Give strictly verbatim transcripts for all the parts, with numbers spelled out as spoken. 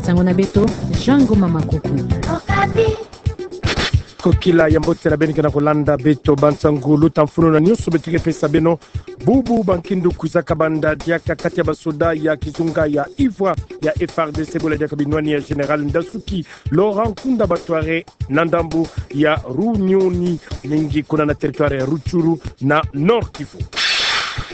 Nsangu na beto, Jean Ngoma Makuku. Kokila ya mbote na beno ke na kolanda beto ba nsangu luta mfunu na nyonso beto ke pesa beno. Bubu ba nkindu kwizaka banda diaka kati ya basoda ya kizunga ya ivwa ya F R D C bole diaka binwani ya Général Ndasuki Laurent Nkunda Batware na ndambu ya Runyoni, mingi kuna na territoire ya Rutshuru na Nord-Kivu.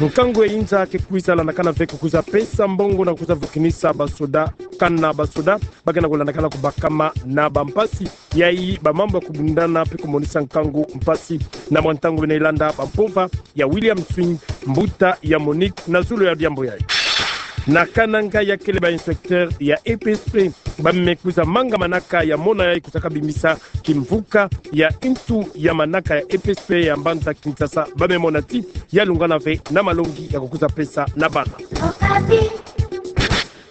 Nkangu ya inza ke kwiza landakana ve ko kwiza pesa mbongo na kwiza vukinisa basoda, kana basoda ba ke na kolandakana kubakama na bampasi. Yayi ba mambu ya kubundana mpe kumonisa nkangu mpasi na mwa ntangu bina ilanda ba mpova ya William Swing, mbuta ya Monique, na zulu ya diambu yayi. Na Kananga ya kele ba inspecteur ya E P S P ba me kwiza manga manaka ya mona yayi kwiza kabimisa kimvuka ya ntu ya manaka ya E P S P ya mbanza Kinshasa, ba me mona ti ya lungana ve na malongi ya kukwiza pesa na bana.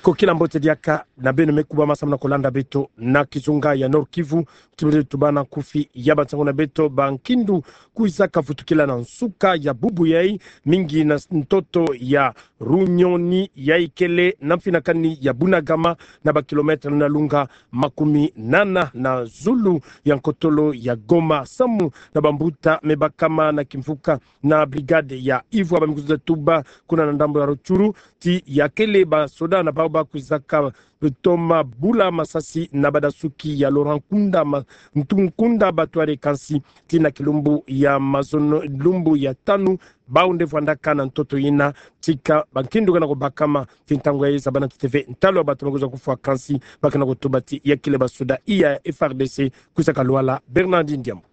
Kokila mbote diaka na beno me kubama samu na kolanda beto na kizunga ya Nord-Kivu. Tubiri tubana nkufi ya ba nsangu na beto. Ba nkindu kwizaka vutukila na nsuka ya bubu yayi, mingi na ntoto ya Runyoni yayi kele na mfinakani ya Bunagana, na ba kilomètre na lunga makumi nana na zulu ya nkotolo ya Goma. Samu na bambuta me bakama na kimvuka na brigade ya ivwa ba me kwiza tuba kuna na ndambu ya Rutshuru ti ya kele basoda na bawu ba kwizaka toma bula masasi na badasuki ya Laurent Nkunda ma-, Ntu-, Nkunda Batware, kansi ti na kilumbu ya mazono, lumbu ya tanu, bawu nde vwandaka na ntoto yina. Tika ba nkindu ke na kubakama ti ntangu yayi zabana ti te ve ntalu ya bato me kwiza kufwa, kansi ba ke na kutuba ti ya kele basoda iya F R D C. Kwizaka lwala Bernardine Diambu.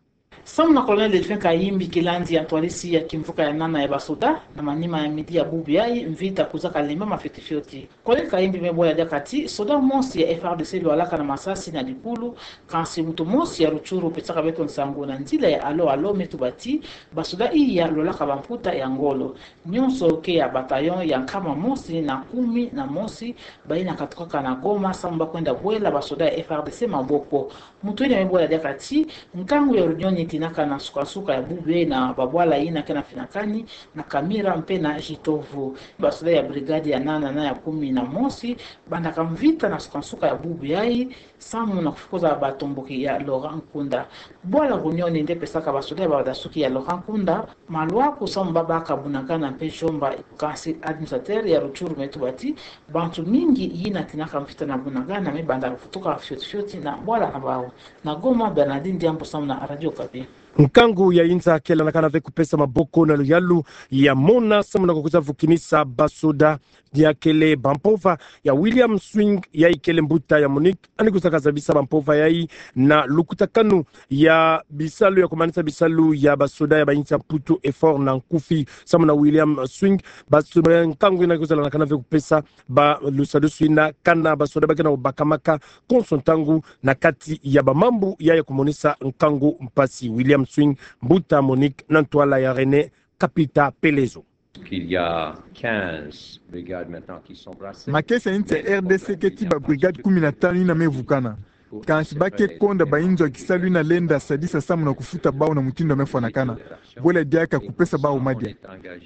Samu na Colonel Delphin Kayimbi, kilandi ya ntwadisi ya kimvuka ya nana ya basoda, na manima ya midi ya bubu yayi, mvita kwizaka lembama fioti fioti. Colonel Kayimbi me bwela diaka ti soda mosi ya F R D C lwalaka na masasi na dikulu, kansi muntu mosi ya Rutshuru pesaka beto nsangu na nzila ya Alo Alo me tuba ti basoda iya lwalaka bamputa ya ngolo. Nyonso ke ya bataillon ya nkama mosi na kumi na mosi, bayina katukaka na Goma samu ba kwenda bwela basoda ya F R D C maboko. Muntu yina me bwela diaka ti nkangu ya Runyoni tinaka na nsuka-nsuka ya bubu yayi na babwala yina ke na mfinakani na Kamira mpe na Jitovu. Basoda ya brigade ya nana na ya kumi na mosi bandaka mvita na nsuka-nsuka ya bubu yayi samu na kufukuza batomboki ya Laurent Nkunda. Bwala Runyoni nde pesaka basoda ya badasuki ya Laurent Nkunda malwaku samu ba baka Bunagana mpe Djomba, kansi administrateur ya Rutshuru me tuba ti bantu mingi yina tinaka mvita na Bunagana me banda kuvutuka fioti fioti na bwala na bawu. Na Goma, Bernardine Diambu samu na Radio Okapi. Nkangu ya inza ke landakana ve kupesa maboko na luyalu ya mona samu na kukwiza vukinisa basoda ya kele bampova ya William Swing, yayi kele mbuta ya Monique, yandi kwizaka zabisa bampova yayi na lukutakanu ya bisalu ya kumanisa bisalu ya basoda ya bayinsi ya Mputu, effort na nkufi. Samu na William Swing, baso-, ba nkangu yina kwizala na kana ve kupesa ba lusadusu yina kana basoda ba ke na kubakamaka konso ntangu na kati ya bamambu ya ya kumonisa nkangu mpasi. William Swing, mbuta Monique, na ntwala ya René Kapita Pelezo. Qu'il y a quinze brigades maintenant qui sont brassées. Makesa ya insi ya R D C keti ba brigades kumi na tanu yina me vukana. Kansi ba ke konda bayinzo ya kisalu yina lenda sadisa samu na kufuta bawu na mutindu ya me fwanakana. Bwela diaka kupesa bawu madia.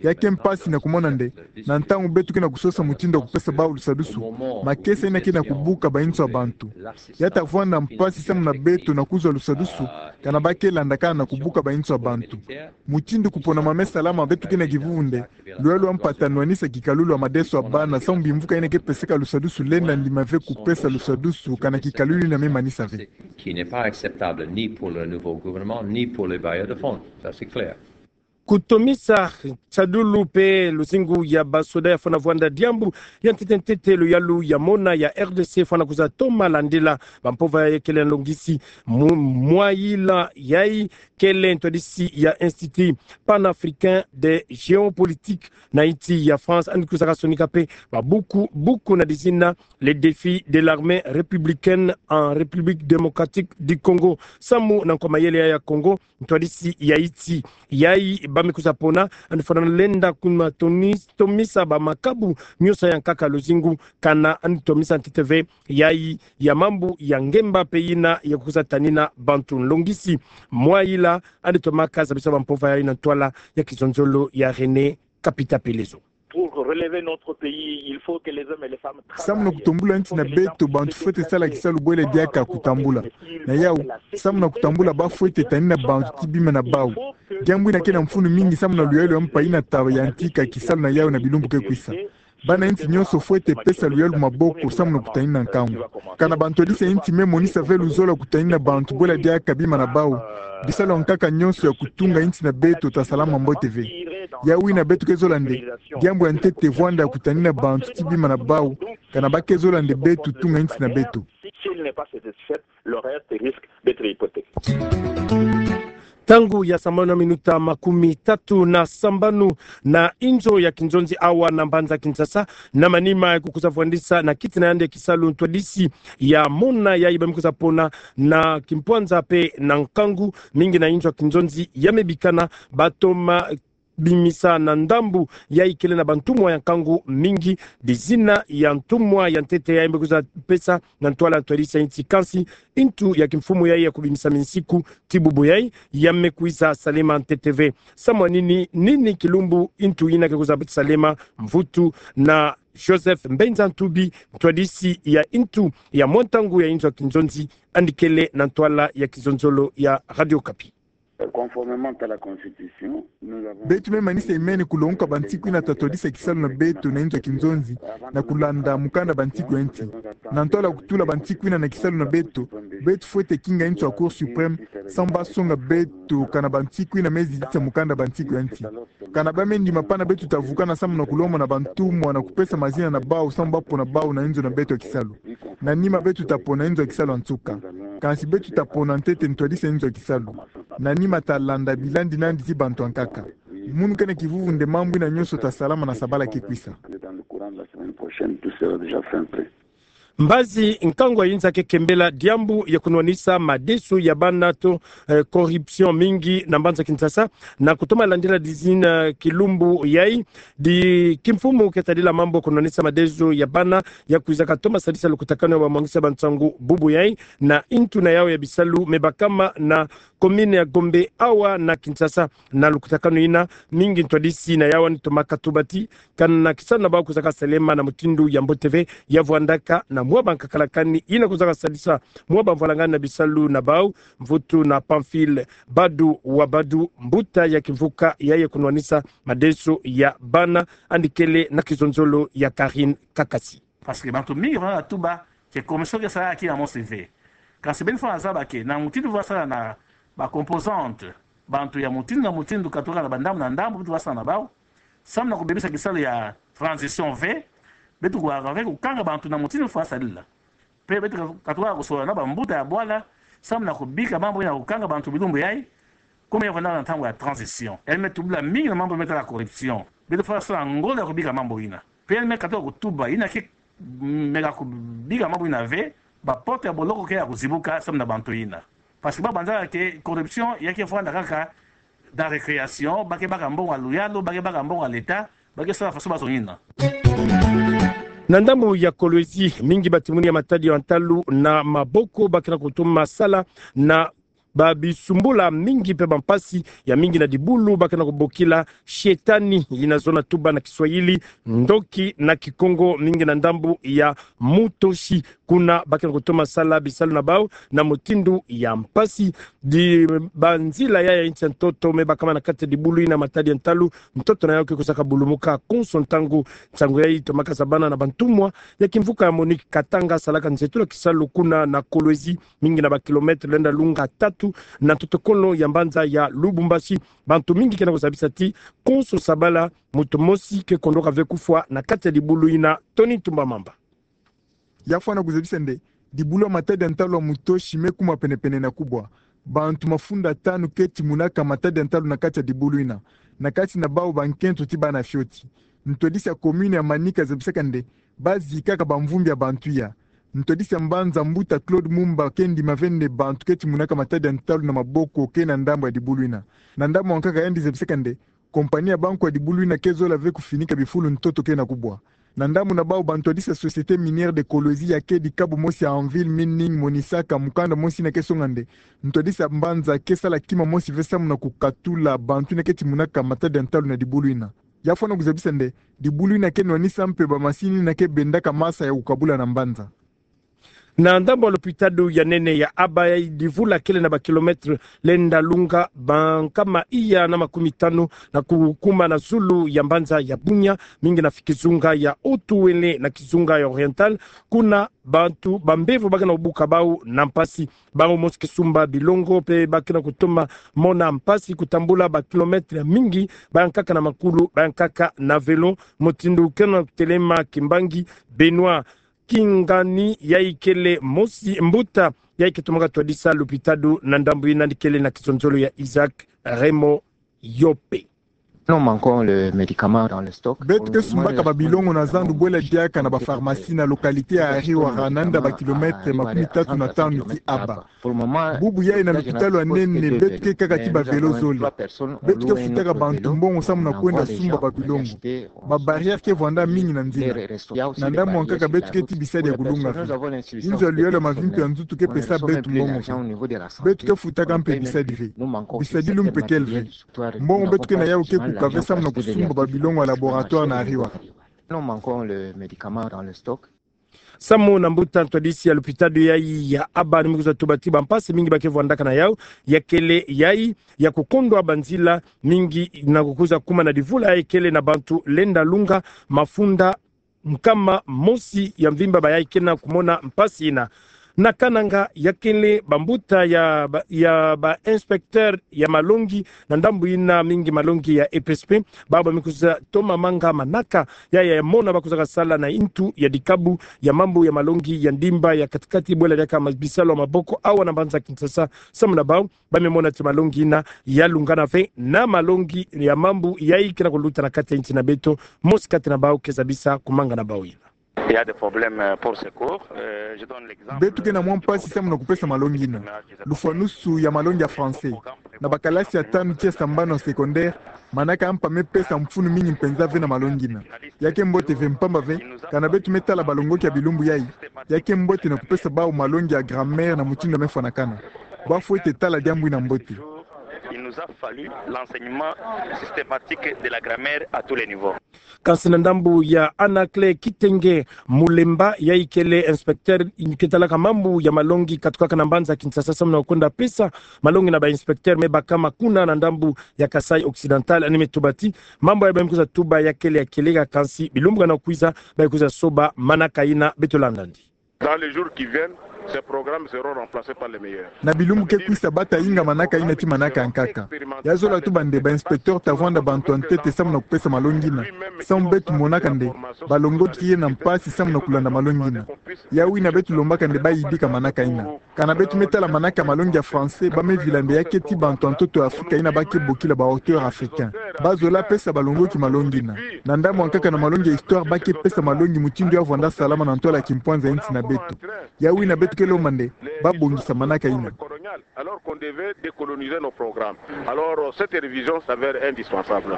Ya ke mpasi na kumona nde, na ntangu beto ke na kusosa mutindu ya kupesa bawu lusadusu, makesa yina ke na kubuka bayinzo ya bantu. Ya ta vwanda mpasi samu na beto na kuzwa lusadusu, kana ba ke landakana na kubuka bayinzo ya bantu. Mutindu kupona mame salama beto ke na kivuvu nde, lwelo mpata nwanisa kikalulu ya madeso ya bana samu bimvuka yina ke peseka lusadusu lenda ndima ve kupesa lusadusu kana kikalulu yina me manisa ve. Qui n'est pas acceptable ni pour le nouveau gouvernement, ni pour les bailleurs de fonds. Ça, c'est clair. Kutomisa tisadulu mpe luzingu ya basoda ya fwana vwanda diambu ya ntete ntete, luyalu ya mona ya R D C fwana kwiza toma landila bampova ya kele nlongisi mu-, mwa yila yayi kele ntwadisi ya Institut Panafricain de Géopolitique na insi ya France, yandi kwizaka sonika mpe ba buku, buku na dizina Les défis de l'armée républicaine en République démocratique du Congo. Samu na nkwa mayele ya Congo, ntwadisi ya insi yayi ba me kwiza pona, yandi fwana lenda kuma toni-, tomisa ba makabu nyonso ya nkaka luzingu, kana yandi tomisa ntete ve yayi ya mambu ya ngemba mpe yina ya kwiza tanina bantu. Nlongisi mwa yila yandi tomaka zabisa bampova yayi na ntwala ya kizonzolo ya René Kapita Pelezo. Pour Pour relever notre pays, il faut que les hommes et les femmes travaillent. Samu na kutombula nti na beto, bantu fwete sala kisalu bwela diaka kutambula. Na yau, samu na kutambula ba fwete tanina bantu ti bima na bau. Diambu ina ke na mfunu mingi samu na luyalu ya mpa ina ta yantika kisalu na yau na bilumbu ke kwisa. Bana nti nyonso fwete pesa luyalu maboko samu na kutanina nkangu. Kana ba ntwadisi ya nti me monisa ve luzolo ya kutanina bantu bwela diaka bima na bau, bisalu ya nkaka nyonso ya kutunga nti na beto ta salama mbote ve. Yau ina beto ke zola nde, diambu ya ntete vwanda ya kutanina bantu ti bima na bau, kana ba ke zola nde beto tunga nti na beto. Si elle n'est pas satisfaite, le reste risque d'être hypothéqué. Ntangu ya sambanu na minuta makumi tatu na sambanu na inzo ya kinzonzi awa na mbanza Kinshasa, na manima ya kukwiza vwandisa na kiti na yandi ya kisalu ntwadisi ya mona yayi ba me kwiza pona na kimpwanza mpe na nkangu mingi na inzo ya kinzonzi ya me bikana ba toma bimisa na ndambu yayi kele na bantumwa ya nkangu mingi, dizina ya ntumwa ya ntete yayi me kwiza pesa na ntwala ntwadisi ya nti, kansi ntu ya kimfumu yayi ya kubimisa minsiku ti bubu yayi ya me kwiza salema ntete ve. Samu na nini, nini kilumbu ntu ina ke kwiza salema? Mvutu na Joseph Mbenza Ntubi, ntwadisi ya ntu ya mwa ntangu ya inzo ya kinzonzi, yandi kele na ntwala ya kizonzolo ya Radio Okapi. Conformément à la Constitution, nous avons... Beto me manisa imene kulongoka bansiku ina ta twadisa kisalu na beto na inzo ya kinzonzi, na kulanda mukanda bansiku ya nti. Na ntwala kutula bansiku ina na kisalu na beto, beto fwete kinga nti ya Cour suprême, samu ba songa beto kana bansiku ina me zitisa mukanda bansiku ya nti. Kana ba me ndima pana, beto ta vukana samu na kulomba na bantumwa na kupesa mazina na bau samu ba pona bau na inzo na beto ya kisalu. Na nima beto ta pona inzo ya kisalu ya nsuka. Kansi beto ta pona ntete ntwadisi ya inzo ya kisalu. Na nima ta landa bilandi nandi ti bantu ya nkaka. Munu ke na kivuvu nde mambu ina nyonso ta salama na sabala ke kwisa. Mbazi nkangu ya inza ke kembela diambu ya kunwanisa madeso ya bana to, eh, corruption mingi na mbanza Kinshasa, na kutoma landila dizina kilumbu yayi. Di kimfumu ke tadila mambu ya kunwanisa madeso ya bana ya kwizaka toma sadisa lukutakanu ya bamwangisi ya bansangu bubu yayi na ntu na yau ya bisalu me bakama na commune ya Gombe awa na Kinshasa. Na lukutakanu ina, mingi ntwadisi na yau yandi toma katuba ti kana kisalu na bau kwizaka salema na mutindu ya mbote ve, ya vwandaka na mwa bankakalakani ina kwizaka sadisa mwa bamvwalangani na bisalu na bau. Mvutu na Pamphile Badu wa Badu, mbuta ya kimvuka yayi ya kunwanisa madeso ya bana, yandi kele na kizonzolo ya Karine Kakasi. Parce que bantu mingi vwandaka tuba que corruption ke sala ya kima mosi ve. Kansi beno fwana zaba que na mutindu vwasala na ba composantes, bantu ya mutindu na mutindu katuka na bandambu na ndambu, beto vwasala na bau samu na kubebisa kisalu ya transition ve. Beto kuwaka ve kukanga bantu na mutindu fwa sadila. Mpe beto katuka kusola na bambuta ya bwala samu na kubika mambu ina kukanga bantu bilumbu yayi. Comme ya vwandaka na ntangu ya transition, yandi me tubila mingi na mambu me tala corruption. Beto fwa sala ngolo ya kubika mambu ina. Mpe yandi me katuka kutuba ina ke meka kubika mambu ina ve, ba porte ya boloko ke ya kuzibuka samu na bantu ina. Parce que ba banzaka que corruption ya ke vwanda kaka dans récréation, ba ke baka mbongo ya luyalu, ba ke baka mbongo ya l'État, ba ke sala faso bazongi ina. Na ndambu ya Kolwezi, mingi batimuni ya matadi ya ntalu na maboko ba ke na kutoma sala na babisumbula mingi mpe bampasi ya mingi na dibulu ba ke na kubokila shetani, ina zona tuba na Kiswahili, ndoki na Kikongo, mingi na ndambu ya Mutoshi. Kuna ba ke na kutoma sala bisalu na bau na mutindu ya mpasi. Di banzila yayi ya nsi ya ntoto me bakama na kati ya dibulu ina matadi ya ntalu, ntoto na yau ke kwizaka bulumuka konso ntangu. Nsangu yayi tomaka zabana na bantumwa ya kimvuka ya Monique Katanga, salaka nzietolo ya kisalu kuna na Kolwezi, mingi na ba kilomètres lenda lunga tatu na ntotokolo ya mbanza ya Lubumbashi. Bantu mingi ke na kuzabisa ti konso sabala, muntu mosi ke kondoka ve kufwa na kati ya dibulu ina. Tony Tumba Mamba. Ya fwana kuzabisa nde, dibulu ya matadi ya ntalu ya Mutoshi me kuma penepene na kubwa. Bantu mafunda tanu ke timunaka matadi ya ntalu na kati ya dibulu ina, na kati na bau bankento ti bana fioti. Ntwadisi ya commune ya Manika zabisaka nde, ba zikaka bamvumbi ya bantu ya. Ntwadisi ya mbanza mbuta Claude Mumba ke ndima ve nde bantu ke timunaka matadi ya ntalu na maboko ke na ndambu ya dibulu ina. Na ndambu ya nkaka yandi zabisaka nde, compagnie ya banko ya dibulu ina ke zola ve kufinika bifulu ntoto ke na kubwa. Na ndambu na bau, bantwadisi ya Société Minière de Kolwezi ya kedi kabu mosi ya Anvil Mining monisaka mukanda mosi ina ke songa nde, ntwadisi ya mbanza ke sala kima mosi ve samu na kukatula bantu ina ke timunaka matadi ya ntalu na dibulu ina. Ya fwana kuzabisa nde, dibulu ina ke nwanisa mpe bamasini ina ke bendaka masa ya kukabula na mbanza. Na ndambu ya lopitalo ya nene ya Aba, ya divula kele na ba kilomètre lenda lunga ba nkama iya na makumi tanu na kukuma na zulu ya mbanza ya Bunia, mingi na kizunga ya Haut-Uele na kizunga ya Oriental, kuna bantu bambevo ba ke na kubuka bau na mpasi. Bau mosi kisumba bilongo mpe ba ke na kutoma mona mpasi kutambula ba kilomètre mingi, ba nkaka na makulu, ba nkaka na vélo. Mutindu ke na kutelema kimbangi, Benoît Kingani, yayi kele mosi mbuta yayi ke tomaka twadisa lopitalo na ndambu ina, ni kele na kizonzolo ya Isaac Raymond Yope. Nous manquons le médicament dans le stock. Beto ke sumbaka ba bilongo na zandu bwela diaka na ba pharmacie na localité ya Ariwara, nanda ba kilomètre makumi tatu na tanu ti Aba. Bubu yayi na lopitalo ya nene, beto ke kaka ti ba vélo zole. Beto ke futaka bantu mbongo samu na kwenda sumba ba bilongo. Ba barrière ke vwanda mingi na nzila. Na ndambu ya nkaka beto ke ti bisadi ya kulunga ve. Inzo ya luyalu ya mavimpi ya nzutu ke pesa beto mbongo ve. Beto ke futaka mpe bisadi ve. Bisadi lumbu mpe kele ve. Mbongo beto ke na yau ke kuka ve samu na kusumba ba bilongo ya laboratoire na Ariwara. Nous manquons le médicament dans le stock. Samu na mbuta ntwadisi ya lopitalo yayi ya Aba, ni me kwiza tuba ti bampasi mingi ba ke vwandaka na yau, ya kele yayi ya kukondwa banzila mingi na kukwiza kuma na divula yayi kele na bantu lenda lunga mafunda nkama mosi ya mvimba, bayayi ke na kumona mpasi ina. Na Kananga, ya kele bambuta ya ba, ya ba inspecteur ya malongi na ndambu ina, mingi malongi ya E P S P, bau ba me kwiza toma manga manaka ya, ya mona ba kwizaka sala na intu ya dikabu ya mambu ya malongi ya ndimba ya kati-kati bwela diaka ma-, bisalu ya maboko awa na mbanza Kinshasa, samu na bau ba me mona ti malongi ina ya lungana ve na malongi ya mambu yayi ke na kuluta na kati ya insi na beto. Mosi kati na bau ke zabisa kumanga na bau ina. Il y a des problèmes, euh, pour ce cours. Euh, je donne l'exemple. Beto ke na mwa mpasi samu na kupesa malongi ina. Lufwanusu ya malongi ya français. Na bakalasi ya tanu tii ya sambanu ya secondaire, manaka ya mpa me pesa mfunu mingi mpenza ve na malongi ina. Ya ke mbote ve mpamba ve, kana beto me tala balongoki ya bilumbu yayi, ya ke mbote na kupesa bau malongi ya grammaire na mutindu ya me fwanakana. Ba fwete tala diambu ina mbote. Il nous a fallu l'enseignement systématique de la grammaire à tous les niveaux. Kansi na ndambu ya Anaclet Kitenge Mulemba, yayi kele inspecteur ke talaka mambu ya malongi katukaka na mbanza Kinshasa, samu na kwenda pesa malongi na ba inspecteur me bakama kuna na ndambu ya Kasaï Occidental, ni me tuba ti mambu yayi ba me kwiza tuba ya kele ya kieleka, kansi bilumbu ke na kwiza ba kwiza soba manaka ina. Beto landa ndi. Dans les jours qui viennent, ces programmes seront remplacés par les meilleurs. Na bilumbu ke kwisa, ba ta inga manaka ina ti manaka ya nkaka. Ya zola tuba nde ba inspecteur ta vwanda bantu ya ntete samu na kupesa malongi ina. Samu beto monaka nde balongoki ke na mpasi samu na kulanda malongi ina. Ya wina beto lombaka nde ba yidika manaka ina. Kana beto me tala manaka ya malongi ya français, ba me vila nde ya ke ti bantu ya ntoto ya Afrika ina ba ke bokila ba hauteurs africains. Ba zola pesa balongoki malongi ina. Na ndambu ya nkaka na malongi ya histoire, ba ke pesa malongi mutindu ya vwanda salama na ntwala ya kimpwanza ya insi na beto. Ya wina beto ke lomba nde ba bongisa manaka ina. Alors qu'on devait décoloniser nos programmes. Alors, euh, cette révision s'avère indispensable.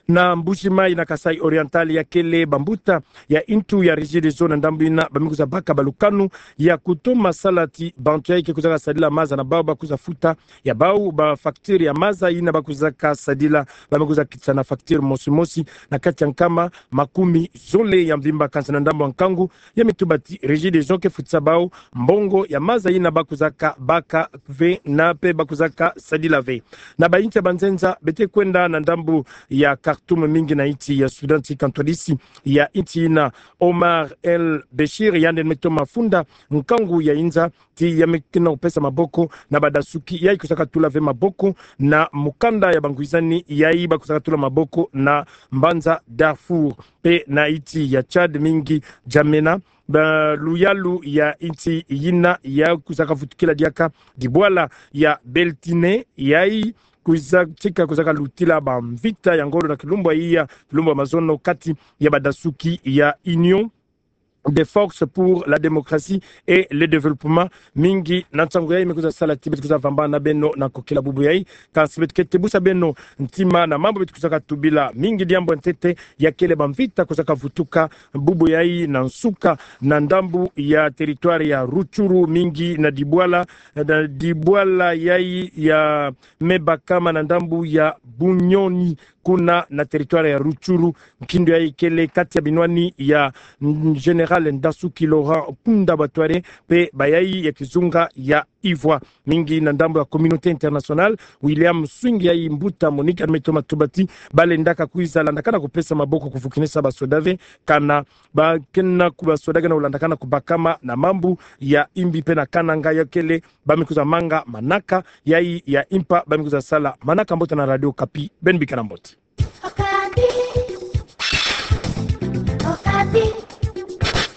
Na Mbuji-Mayi na Kasaï Oriental, ya kele bambuta ya intu ya Regideso na ndambu ina ba me kwiza baka balukanu ya kutoma sala ti bantu yayi ke kwizaka sadila maza na bau ba kwiza futa ya bau ba facture ya maza ina ba kwizaka sadila. Ba me kwiza kitisana facture mosi mosi na kati ya nkama makumi zole ya mvimba. Kansi na ndambu ya nkangu, ya me tuba ti Regideso ke futisa bau mbongo ya maza ina ba kwizaka baka ve na mpe ba kwizaka sadila ve. Na ba insi ya banzenza, beto ke kwenda na ndambu ya Khartoum, mingi na insi ya Soudan, ti kantwalisi ya insi ina, Omar El Béchir, yandi me toma funda nkangu ya inza ti ya me ke na kupesa maboko na badasuki yayi kwizaka tula ve maboko na mukanda ya bangwizani yayi ba kwizaka tula maboko na mbanza Darfour. Mpe na insi ya Tchad, mingi Djamena, ba luyalu ya insi ina ya kwizaka vutukila diaka dibwala ya Beltine, yayi kwiza tika kwizaka lutila bamvita ya ngolo na kilumbu ya, kilumbu ya mazono, kati ya badasuki ya Union des Forces pour la Démocratie et le Développement. Mingi na nsangu yayi me kwiza sala ti beto kwiza vamba na beno na kokila bubu yayi. Kansi beto ke tebusa beno ntima na mambu beto kwizaka tubila, mingi diambu ya ntete ya kele bamvita kwizaka vutuka bubu yayi na nsuka na ndambu ya territoire ya Rutshuru, mingi na dibwala, na dibwala yayi ya me bakama na ndambu ya Bunyoni. kuna na territoire ya Rutshuru. Nkindu yayi kele kati ya binwani ya, mm, Général Ndasuki Laurent Nkunda Batware mpe bayayi ya kizunga ya Ivoire. Mingi na ndambo ya communauté internationale, William Swing yayi mbuta Monique Admeto Matubati, balendaka kwiza landakana kupesa maboko kufukinisa basoda ve, kana bakena ku basoda gana kulandakana kubakama na mambu ya imbi mpe na kananga, ya kele ba me kwiza manga manaka yayi ya impa ba me kwiza sala manaka. Mbote na Radio Okapi, beno bikana mbote. Okapi. Okapi.